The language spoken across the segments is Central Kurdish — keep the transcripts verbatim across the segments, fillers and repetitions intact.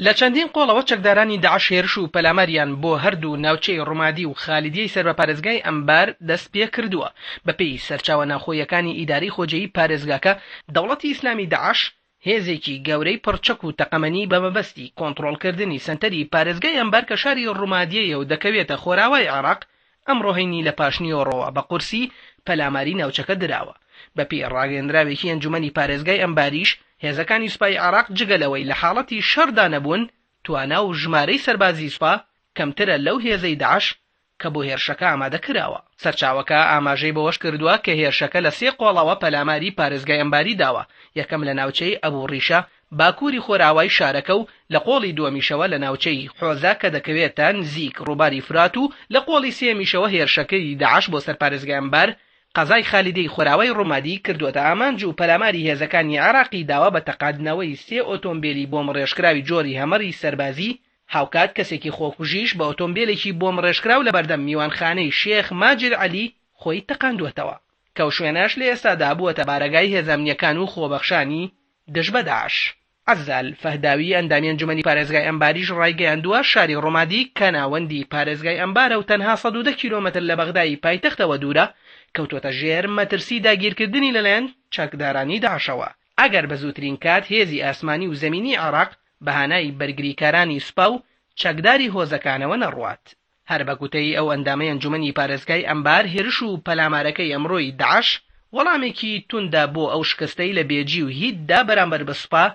لە چەندین قۆڵەوە چەکدارانی داعش هێرش و پەلاماریان بۆ هەردوو ناوچەی ڕومادی و خالیدیەی سەر بە پارێزگای ئەنبار دەست پێکردووە. بەپێی سەرچاوە ناوخۆییەکانی ئیدارەی خۆجێی پارێزگاکە، دەوڵەتی ئیسلامی داعش هێزێکی گەورەی پڕچەک و تەقەمەنی بە مەبەستی کۆنتڕۆڵکردنی سەنتەری پارێزگای ئەنبار کە شاری ڕومادیەیە و دەکەوێتە خۆراوای عێراق، ئەمڕۆ هەینی لە پاشنیوەڕۆوە بە قورسی پەلاماری ناوچەکە دراوە. بەپێی ڕاگەیەندراوێکی ئەنجومەنی پارێزگای ئەنباریش، هێزەکانی سوپای عێراق جگە لەوەی لە حاڵەتی شەڕدا نەبوون، توانا و ژمارەی سەربازی سوپا کەمترە لەو هێزەی داعش کە بۆ هێرشەکە ئامادە کراوە. سەرچاوەکە ئاماژەی بەوەش کردووە کە هێرشەکە لە سێ قۆڵەوە پەلاماری پارێزگای ئەنباری داوە، یەکەم لە ناوچەی ئەبو ڕیشە باکووری خۆراوای شارەکە و لە قۆڵی دووەمیشەوە لە ناوچەی حۆزە کە دەکەوێتە نزیک ڕووباری فرات و لە قۆڵی سێیەمیشەوە هێرشەکەی داعش بۆ سەر پارێزگای ئەنبار قەزای خالیدەی خۆراوای ڕومادی کردووەتە ئامانج و پەلاماری هێزەکانی عێراقی داوە بە تەقاندنەوەی سێ ئۆتۆمبێلی بۆمبڕێژکراوی جۆری هەمەری سەربازی، هاوکات کەسێکی خۆکوژیش بە ئۆتۆمبێلێکی بۆمبڕێژکراو لەبەردەم میوانخانەی شێخ ماجد عەلی خۆی تەقاندووەتەوە کە ئەو شوێنەش لە ئێستادا بووەتە بارەگای هێزە ئەمنییەکان و خۆبەخشانی دژ بە داعش. عەزال فەهداوی ئەندامی ئەنجومەنی پارێزگای ئەنباریش ڕایگەیاندووە، شاری ڕومادی کە ناوەندی پارێزگای ئەنبارە و تەنها سەد و دە کیلۆمەتر لە بەغدای پایتەختەوە دوورە، کەوتووەتە ژێر مەترسی داگیرکردنی لەلایەن چەکدارانی داعشەوە، ئەگەر بە زووترین کات هێزی ئاسمانی و زەمینی عێراق بە هانای بەرگریکارانی سوپا و چەکداری هۆزەکانەوە نەڕوات. هەر بە گوتەی ئەو ئەندامەی ئەنجومەنی پارێزگای ئەنبار، هێرش و پەلامارەکەی ئەمڕۆی داعش وەڵامێکی توندە بۆ ئەو شکستەی لە بێجی و هیتدا بەرامبەر بە سوپا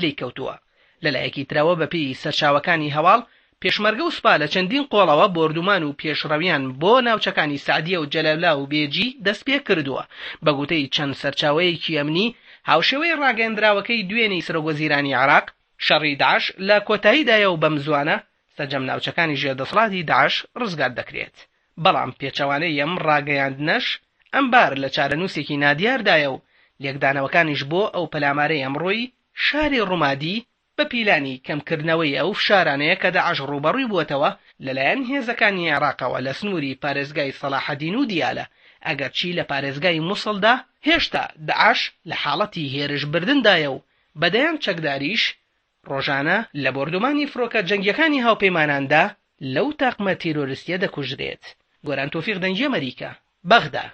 لێی کەوتووە. لەلایەکی ترەوە بەپێی سەرچاوەکانی هەواڵ، پێشمەرگە و سوپا لە چەندین قۆڵەوە بۆردومان و پێشڕەویان بۆ ناوچەکانی سەعدیە و جەلەولا و بێجی دەستپێکردووە. بە گوتەی چەند سەرچاوەیەکی ئەمنی، هاوشێوەی ڕاگەیەندراوەکەی دوێنێی سەرۆکوەزیرانی عێراق، شەڕی داعش لە کۆتاییدایە و بەمزووانە سەرجەم ناوچەکانی ژێر دەسەڵاتی داعش ڕزگار دەکرێت. بەڵام پێچەوانەی ئەم ڕاگەیاندنەش، ئەنبار لە چارەنووسێکی نادیاردایە و لێکدانەوەکانیش بۆ ئەو پەلامارەی ئەمڕۆی شاری ڕومادی بە پیلانی کەمکردنەوەی ئەو فشارانەیە کە داعش ڕووبەڕووی بووەتەوە لەلایەن هێزەکانی عێراقەوە لە سنووری پارێزگای سەڵاحەدین و دیالە، ئەگەرچی لە پارێزگای موسڵدا هێشتا داعش لە حاڵەتی هێرشبردندایە و بە دەیان چەکداریش ڕۆژانە لە بۆردومانی فڕۆکە جەنگیەکانی هاوپەیماناندا لەو تاقمە تیرۆریستیە دەکوژرێت. گۆران تۆفیق، دەنگی ئەمەریکا، بەغدا.